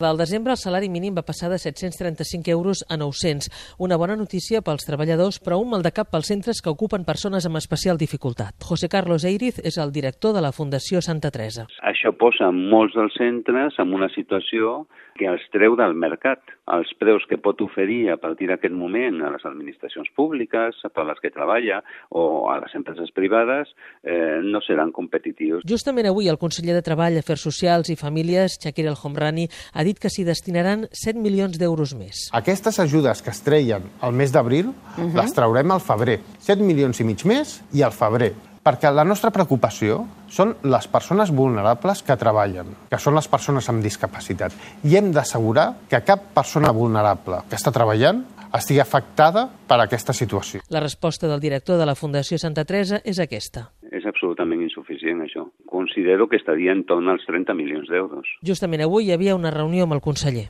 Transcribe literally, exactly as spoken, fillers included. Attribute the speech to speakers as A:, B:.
A: Al desembre el salari mínim va passar de set-cents trenta-cinc euros a nou-cents. Una bona notícia pels treballadors, però un maldecap pels centres que ocupen persones amb especial dificultat. José Carlos Eiriz és el director de la Fundació Santa Teresa.
B: Això posa molts dels centres en una situació que els treu del mercat. Els preus que pot oferir a partir d'aquest moment a les administracions públiques, per les que treballa, o a les empreses privades, eh, no seran competitius.
A: Justament avui el conseller de Treball, Afers Socials i Famílies, Chakir El Homrani, ha dit que s'hi destinaran set milions d'euros més.
C: Aquestes ajudes que es treien al mes d'abril, uh-huh. les traurem al febrer. set milions i mig més i al febrer. Perquè la nostra preocupació són les persones vulnerables que treballen, que són les persones amb discapacitat. I hem d'assegurar que cap persona vulnerable que està treballant estigui afectada per aquesta situació.
A: La resposta del director de la Fundació Santa Teresa és aquesta.
B: És absolutament insuficient, això. Considero que estaria en torn als trenta milions d'euros.
A: Justament avui hi havia una reunió amb el conseller.